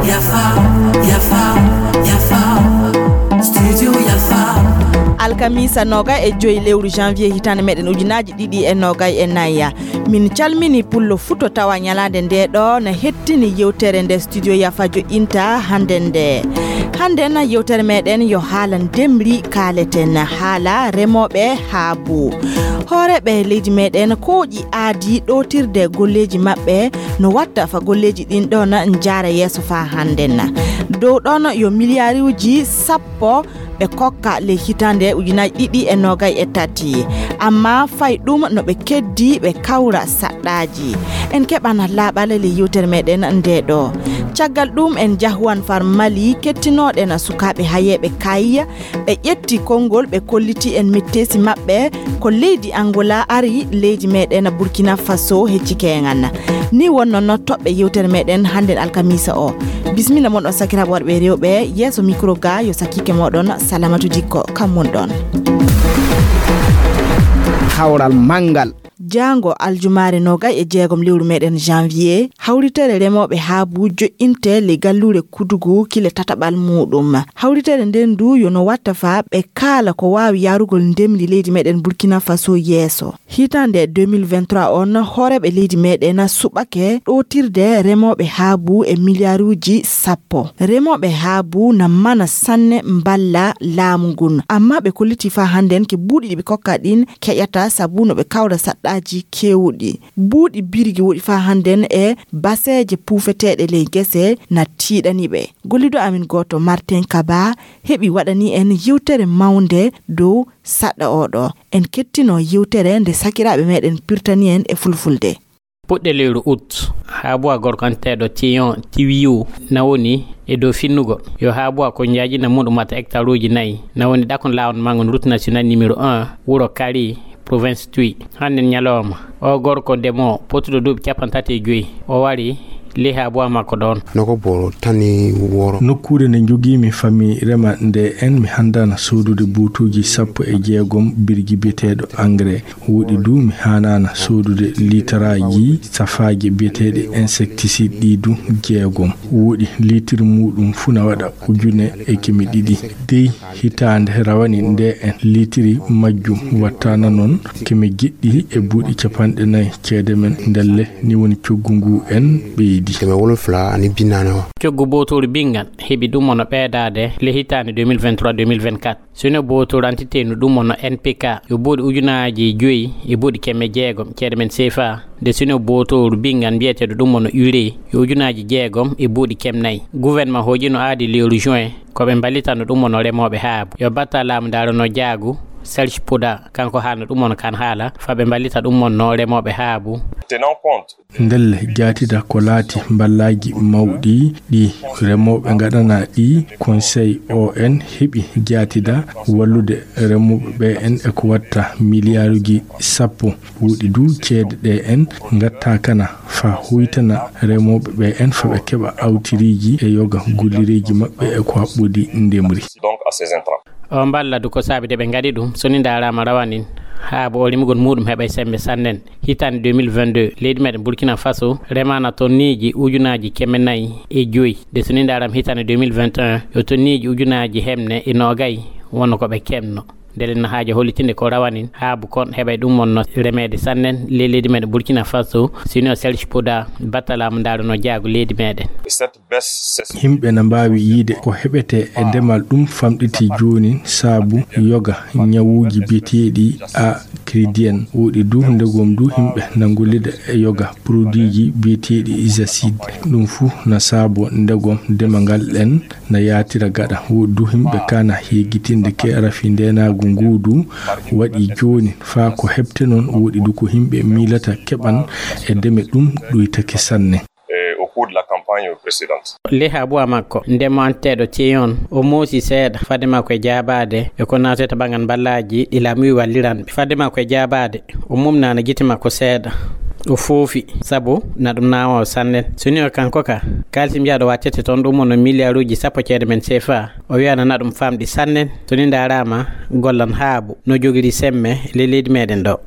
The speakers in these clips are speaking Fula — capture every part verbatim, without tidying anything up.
Yafa, yafa, yafa. Studio Yafa. Alkamisa noga e joyi lewru janvier hitande meɗen ujunaaji ɗiɗi e noga e naya. Min calmini pullo fuu to tawa nyalaande nde ɗo na hettini yewtere nde studio Yafa joɗɗinta hande nde. Hande na yewtere meɗen yo haala ndemri kaaleten, haala remooɓe haabu. Hooreeɓe leydi meɗen kooƴi aadi ɗootirde golleeji maɓɓe no watta fa golleeji ɗin ɗon njaara yeeso faa hannden. Dow ɗon yo miliyaaruuji sappo ɓe kokka ley hitande ujunaaji ɗiɗi e noogay e tati. Amma fay ɗum no ɓe keddi ɓe kawra saɗɗaaji. En keɓan laaɓal ley yewtere meɗen nde ɗo. Caggal ɗum en jahuwan far Mali kettinooɗen sukaaɓe hayeeɓe kayya. Ɓe ƴetti konngol, ɓe kolliti en metteesi maɓɓe ko leydi Angola ari leydi meɗen Burkina Faso hecci keŋan. Ni wonno no toɓɓe yewtere meɗen hannden alkamisa o. Bismilla mon on sakiraaɓe worɓe e rewɓe, yeeso micro ga yo sakiike moɗon Salamatu Dikko, kam mon ɗon. Hawral manngal. Jaango aljumaare noogay e jeegom lewru meɗen janvier, hawritere remooɓe haabu joɗɗinte ley galluure Kudugu kile tataɓal muuɗum. Hawritere nden ndu yo no watta faa ɓe kaala ko waawi yaarugol ndemri leydi meɗen Burkina Faso yeeso. Hitande deux mille vingt-trois on, hooreeɓe leydi meɗen suɓake ɗootirde remooɓe haabu e miliyaaruuji sappo. Remooɓe haabu na mana sanne mballa laamu ngun. Amma ɓe kolliti faa hannden ke buuɗi ɗi ɓe kokka ɗin keƴata sabu no ɓe kawra saɗɗaaji keewuɗi. Buuɗi birgi woɗi faa hannden e baseeje puufeteeɗe ley gese na tiiɗani ɓe. Gollido amin gooto Martin Kaba heɓi waɗani en yewtere mawnde dow saɗɗa oɗo. En kettino yewtere nde sakiraaɓe meɗen pirtani en e fulfulde. Puɗɗe lewru août, haabuwa gorko anteeɗo Tiyon Tiwiyu na woni e dow finnugol. Yo haabuwa ko njaajina muɗum wata hectare uji nayi, na woni ɗakon laawol mangun route nationale numéro un, wuro Kari, province Twi. Hannden ñalawma, o gorko demoo potuɗo duuɓi cappanɗe tati e joyi, o wari ley haabuwa makko ɗon. Noko boro tani woro. Nokkuure nde njogiimi fami rema nde en mi handana soodude buutuuji sappo e jeegom birgi biyeteeɗo engrais. Woɗi du mi haanaana soodude liitaraaji safaaji biyeteeɗi insecticide ɗi du jeegom. Woɗi liitir muuɗum fuu na waɗa ujune e keme ɗiɗi. Dey hitaande rawani nde en liitiri majjum wattaana noon keme jeɗɗi e buuɗi capanɗe nayi ceede men ndelle ni woni coggu ngu en ɓeydi. Keme wolonfula ani binnaane o. Coggu bootooru binngan heɓi ɗum ono ɓeydaade le hitaande deux mille vingt-trois deux mille vingt-quatre. Sino bootooru entité no ɗum ono N P K yo buuɗi ujunaaji joyi e buuɗi keme jeegom ceede men C F A. Nde sino bootooru binngan mbiyeteeɗo ɗum ono urée yo ujunaaji jeegom e buuɗi keme nayi. Gouvernement hooƴino aadi lewru juin ko ɓe mballitano ɗum ono remooɓe haabu. Yo batta laamu ndaarano jaagu Serge Pouda, kanko haalno ɗum ono kan haala fa ɓe mballita ɗum ono remooɓe haabu. Tenant compte Ndelle jaatida ko laati mballaaji mawɗi ɗi remooɓe ngaɗana ɗi, Conseil O N heɓi jaatida wallude remooɓe ɓe en e ko watta miliyaaruji sappo. Woɗi du ceede ɗe en ngatta kana fa huytana remooɓe ɓe en fa ɓe keɓa awtiriiji e yoga gollireeji maɓɓe e ko haɓɓodi ndemri. Donc à ces intrants. O mballa du ko saabi de ɓe ngaɗi ɗum, so ni ndaaraama rawanin, haa bo o rimugol muuɗum heɓay semmbe sannen. Hitaande deux mille vingt-deux, leydi meɗen Burkina Faso remaana tonniiji ujunaaji keme nayi e joyi. De so ni ndaaraama hitaande deux mille vingt et un, yo tonniiji ujunaaji hemne e noogay wonno ko ɓe kemno. Ndele na haaja hollitinde ko rawanin, haa bo kon heɓay ɗum wonno remeede sannen ley leydi meɗen Burkina Faso, sino Serge Pouda, battalaamu ndaarano jaago leydi meɗen. Cette baisse, c'est Yimɓe na mbaawi yiide ko heɓetee e demal ɗum famɗiti jooni saabu yoga ñawuuji biyeteeɗi a cridien. Woɗi du ndegom du yimɓe na ngollida e yoga produitji biyeteeɗi isacide. Ɗum fuu na saabo ndegom dema ngal ɗen na yaatira gaɗa. Woɗi du yimɓe kana yeggitinde ke rafi ndenaagu ngu du waɗi jooni faa ko heɓte noon. Woɗi du ko yimɓe miilata keɓan e deme ɗum ɗuytake sanne. Eh, au cours de la campagne précédente. Ley haabuwa makko, ndemanteeɗo Thion, o moosi seeɗa fadde makko e jaabaade e ko naatata banngal mballaaji ɗi laamu wi walliranɓe. Fadde makko e jaabaade, o mumnaana gite makko seeɗa. O foofi, sabu na ɗum naawa o sanne. So ni o kanko ka, kaalisi mbiyaaɗo wattete toon ɗum wonno miliyaaruuji sappo ceede men C F A. O wiyana na ɗum famɗi sanne. So ni ndaaraama, gollan haabu no jogiri semme ley leydi meɗen ɗo.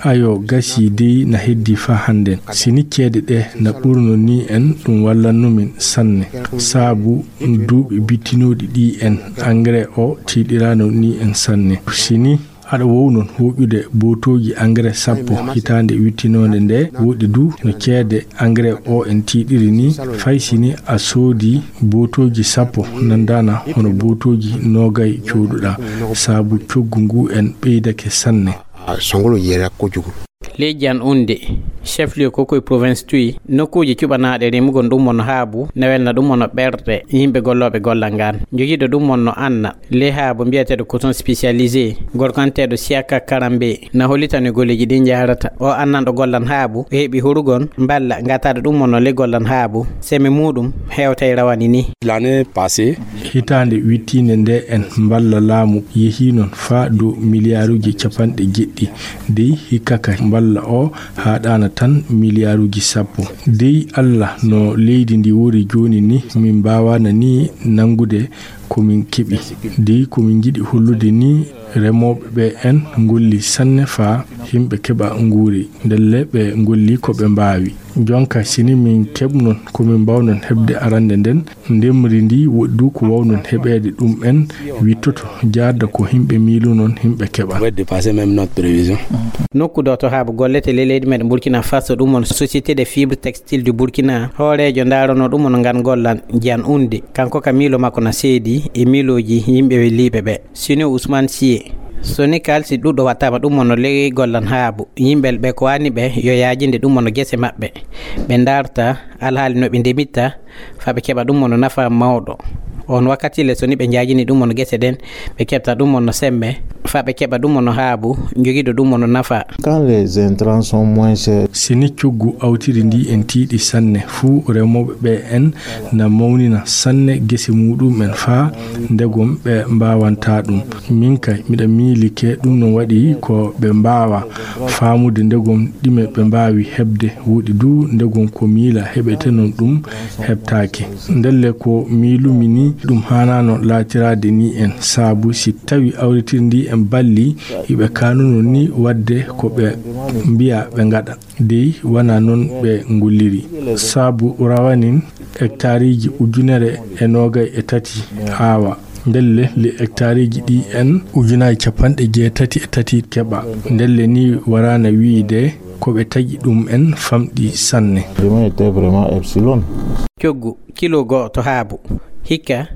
Ayo, gasi dey na heddi faa hannden. Si ni ceede ɗe na ɓurno ni en, ɗum wallanno min sanne. Saabu duuɓi bittinooɗi ɗi en, engrais o tiiɗiraano ni en sanne. Si ni aɗa woow noon hooƴude bootooji engrais sappo hitaande wittinoonde nde, woɗɗi du no ceede engrais o en tiiɗiri ni, fay si ni a soodi bootooji sappo, nanndaana hono bootooji noogay cooduɗaa, saabu coggu ngu en ɓeydake sanne. Songolo yera ko jugu. Leydi an unde, chef lieu ko koye province Tuyi, nokkuuji cuɓanaaɗe remugol ɗum wonno haabu, na welna ɗum wonno ɓerɗe yimɓe gollooɓe gollal ngaan. Jogiiɗo ɗum wonno anna ley haabu mbiyeteeɗo coton spécialisé, gorko anteeɗo Siaka Karambe, na hollitani golleeji ɗi njahrata. O annanɗo gollal haabu, o heɓi horugol mballa ngataɗo ɗum wonno ley gollal haabu, seme muuɗum hewtay rawani ni. L'année passée, hitaande wittiinde nde en mballa laamu yehii noon faa dow miliyaaruuji capanɗe jeɗɗi. Dey hikka ka mballa o haaɗaana tan miliyaaruuji sappo. Dey Alla no leydi ndi woni jooni ni, min mbaawaana ni nanngude ko min keɓi. Dey ko min njiɗi hollude ni, remooɓe ɓe en ngolli sanne faa yimɓe keɓa nguuri. Ndelle ɓe ngolli ko ɓe mbaawi. Jonka si ni min keɓnon ko min mbaawnon heɓde arannde nden, ndemri ndi woɗɗi du ko waawnon heɓeede ɗum en wittoto jaarda ko yimɓe miilunon yimɓe keɓa. On va dépasser même notre prévision. Nokku ɗo to haabu gollete ley leydi meɗen Burkina Faso, ɗum won Société des Fibres Textiles du Burkina. Hooreejo ndaarano ɗum won ngan gollal Jean Oundé. Kanko ka miilo makko na seedi e miilooji yimɓe welliiɓe ɓe. Sino Ousmane Sié. So ni kaalisi ɗuɗɗo wattaama ɗum won no ley gollal haabu. Yimɓe ɓe ko waani ɓe yo yaajinde ɗum won no gese maɓɓe. Ɓe ndaarta alhaali no ɓe ndemitta, faa ɓe keɓa ɗum won no nafa mawɗo. On wakkati le so ni ɓe njaajini ɗum won no gese ɗen, ɓe keɓta ɗum won no semme, faa ɓe keɓa ɗum won no haabu, jogiiɗo ɗum won no nafa. Quand les intrants sont moins chers. Si ni coggu awtiri ndi en tiiɗi sanne, fuu remooɓe ɓe en na mawnina sanne gese muuɗum en faa ndegom ɓe mbaawanta ɗum. Min kay, miɗa miilike ɗum no waɗi ko ɓe mbaawa faamude ndegom ɗime ɓe mbaawi heɓde, woɗɗi du ndegom ko miila heɓete noon ɗum heɓtaake. Ndelle ko miilumi ni, ɗum haanaano laatiraade ni en, saabu si tawi awritiri ndi en balli, iɓe kaanuno ni waɗde ko ɓe mbiya ɓe ngaɗa. Dey wanaa noon ɓe ngolliri. Saabu rawanin hektaariiji ujunere e noogay e tati aawa. Ndelle le hektaariiji ɗi en ujunaaji capanɗe jeetati e tati keɓa. Ndelle ni waraana wiyde ko ɓe taƴi ɗum en famɗi sanne. Vraiment, était vraiment epsilon. Coggu kilo go'o to haabu, hikka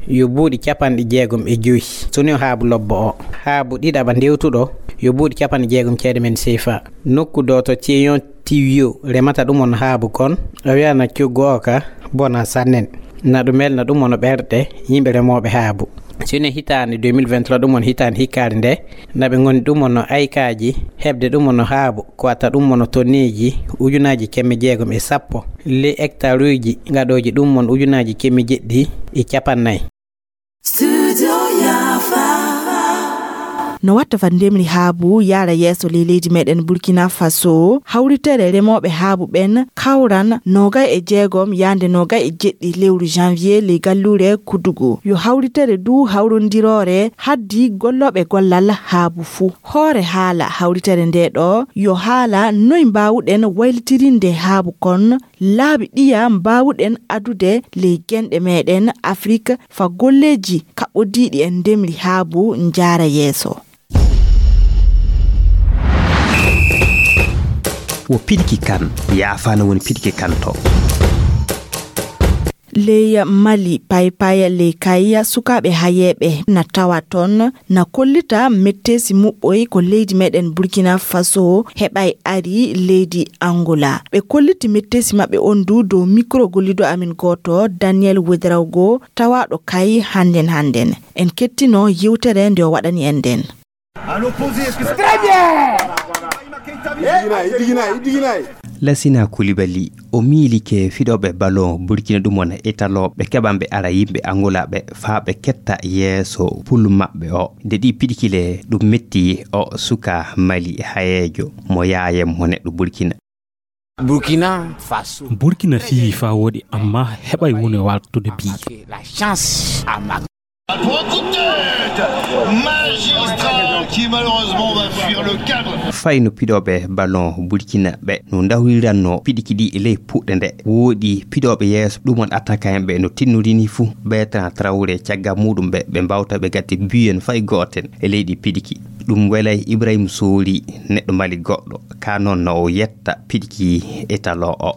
yo buuɗi capanɗe jeegom e joy. So ni o haabu lobbo o, haabu ɗiɗaɓa ndewtuɗo, yo buuɗi capanɗe jeegom ceede men seefa. Nokku ɗo to Ceyon Tiwyo remata ɗum on haabu kon, o wiyana coggu o ka bona sannen. Na ɗum welna ɗum on ɓerɗe yimɓe remooɓe haabu. Sine hitaande deux mille vingt-trois, ɗum on hitaande hikkaare nde, na ɓe ngoni ɗum on no aykaaji heɓde ɗum on no haabu, ko watta ɗum on no tonneeji ujunaaji kemme jeegom e sappo, le hektaruuji gaɗooji ɗum on ujunaaji kemme jeɗɗi e capannay. Studio Yafa. No watta fa ndemri haabu yaara yeeso ley leydi meɗen Burkina Faso, hawritere remooɓe haabu ɓen kawran nogay e jeegom yaande nogay e jeɗɗi lewru janvier ley galluure Kudugu. Yo hawritere du hawrondiroore haddi gollooɓe gollal haabu fuu. Hoore haala hawritere nde ɗo, yo haala noy mbaawuɗen waylitirinde haabu kon, laabi ɗiya mbaawuɗen adude ley genɗe meɗen Afrik fa golleeji kaɓɓodiiɗi e ndemri haabu njaara yeeso. Wo piɗki kan, yaafaana woni piɗki kan to. Ley Mali, paypaya ley kay sukaaɓe hayeeɓe na tawa ton, na kollita metteesi muɓɓoy ko leydi meɗen Burkina Faso heɓay ari leydi Angola. Ɓe kolliti metteesi maɓɓe on du dow mikro gollido amin gooto, Daniel Ouedraogo, tawaaɗo kay hannden hannden. En kettino yewtere nde o waɗani en nden. Très bien. Idigina, idigina, idigina. Lasina Koulibaly, o miilike fiɗooɓe ballon Burkina ɗum wona Italo, ɓe keɓan ɓe ara yimɓe Angola ɓe faa ɓe ketta yeeso pul maɓɓe o. Nde ɗi piɗkile ɗum metti o suka Mali hayeejo mo yaayam mo neɗɗo Burkina. Burkina Faso. Burkina fiyi faa wooɗi, amma heɓay woni waltude bi. La chance à Mac. Pour un coup de tête magistral qui malheureusement va fuir le cadre. Fay no piɗooɓe ballon Burkina ɓe no ndawriranno piɗiki ɗi e ley puɗɗe nde, woodi piɗooɓe yeeso ɗum on attaquant ɓe no tinnorini fuu. Bertrand Traoré caggal muɗum ɓe ɓe mbawta ɓe gatti biyen fay gooten e leydi piɗiki. Ɗum welay Ibrahim Sori, neɗɗo Mali goɗɗo, ka noon no o yetta piɗiki étalon o.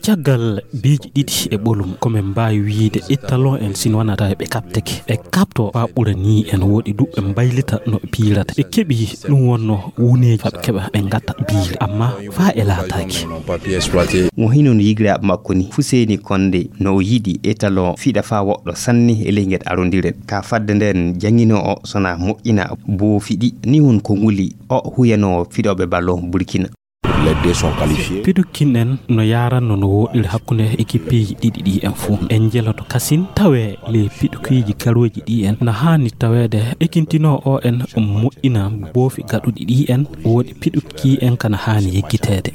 Caggal biiji ɗiɗi e ɓolum, ko min mbaawi wiyde étalon en, si wonata ɓe kaɓteke. Ɓe kaɓto faa ɓura nii en, woodi du ɓe mbaylita no ɓe piirata. Ɓe keɓi ɗum wonno wuneeji faa ɓe keɓa ɓe ngatta biire, amma faa e laataaki. Mo hinon yigiraaɓe makko ni, Fuseni Konde, no o yiɗi étalon fiɗa faa woɗɗo sanne e ley ngel arondiren. Ka fadde nden jangino o sona moƴƴina boofi ɗi, ni won ko nguli o huyano fiɗooɓe ballon Burkina. Les deux sont qualifiés. Piɗukin en no yaaranno no woɗɗiri hakkunde ekippeeji ɗiɗi ɗi en fuu. En jeloto kasin tawee ley piɗukiiji garooji ɗi en na haani taweede ekintinoo o en moƴƴina boofi gaɗuɗi ɗi en, woodi piɗuki en kana haani yeggiteede.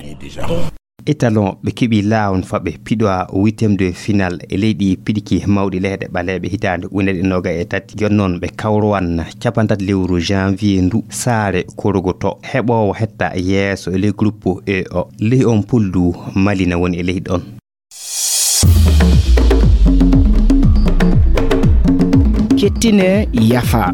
Étalon ɓe keɓi laawon faa ɓe piɗowa huitième de finale e leydi piɗiki mawɗi leyɗe ɓaleeɓe hitaande ujunere ɗiɗi e noogay e tati. Jooni noon ɓe kawrowan cappanɗe tati lewru janvier ndu saare korogoto. Heɓoowo hetta yeeso e ley groupe E o. Ley on puldu Mali na woni e ley ɗon. Kettine yafa.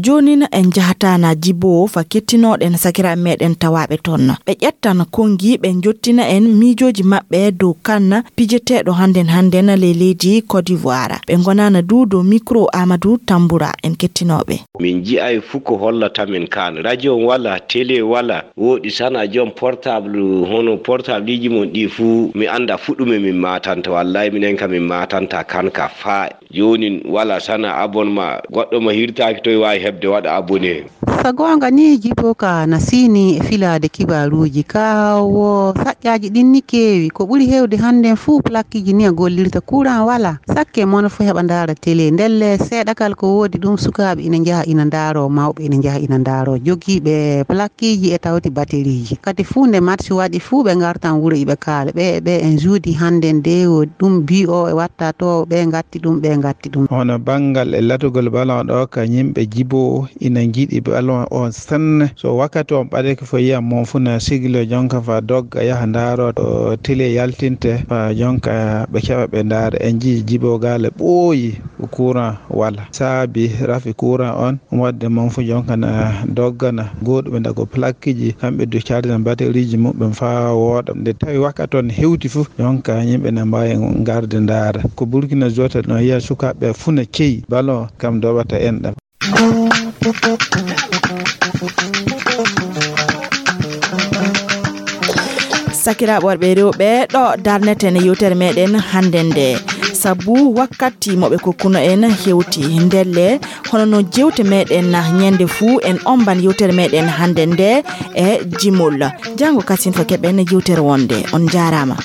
Joonin en njahata na Jibo faa kettinooɗen sakiraaɓe meeɗen tawaaɓe toon. Ɓe ƴettan konngi, ɓe njottina en miijooji maɓɓe dow kan pijeteeɗo hannden hannden ley leydi Côte d'Ivoire. Ɓe ngonana du dow mikro Amadou Tambura, en kettinooɓe. Min nji'ay fuu ko hollata min kan. Radio wala, télé wala, woodi sana joom portable, hono portableji mon ɗi fuu, mi annda fuu ɗume min maatanta. Wallahi minen ka min maatanta kan ka faa. Joonin wala sana abonnement, goɗɗo mo hirtaaki toy waawi heɓde waɗa abonné. Sa goonga ni, Jibo ka na siini e filaade kibaaruuji ka wo saƴƴaaji ɗin ni keewi. Ko ɓuri heewde hannden fuu plaqueji ni a gollirta, courant wala. Sakke mono fuu heɓa ndaara télé. Ndelle seeɗa kal ko woodi ɗum, sukaaɓe ina njaha ina ndaaro, mawɓe ina njaha ina ndaaro. Jogiiɓe plaqueji e tawti batterieji. Kadi fuu nde match waɗi fuu ɓe ngartan wuro iɓe kaala. Ɓe, ɓe en juudi hannden de wo ɗum bi o e watta to ɓe ngatti ɗum, ɓe ngatti ɗum. Hono banngal e latugol ballon ɗo ka yimɓe Jibo ina njiɗi ballon on sanne. So wakkati on ɓadake fof yiyan mon fuu na siglo jonka faa dogga yaha ndaaro to télé yaltinte faa jonka ɓe keɓa ɓe ndaara. En njii Jibo gaale ɓooyi courant wala. Saabi rafi courant on, waɗde mon fuu jonka na doggana. Gooduɓe ndago plaqueji, kamɓe du carjana batterieji muɓɓen faa wooɗa. Nde tawi wakkati on hewti fuu, jonka yimɓe na mbaawi ngarde ndaara. Ko Burkina Jotta no yiya sukaaɓe fuu na ceyi ballon kam doɓata enɗam. Sakiraaɓe worɓe e rewɓe, ɗo darneten yewtere meɗen hannde nde. Sabu wakkati mo ɓe kokkuno en hewti, ndelle hono no jewte meɗen ñande fuu, en omban yewtere meɗen hannde nde e jimol. Janngo kasin fo keɓen yewtere wonde. On njaaraama.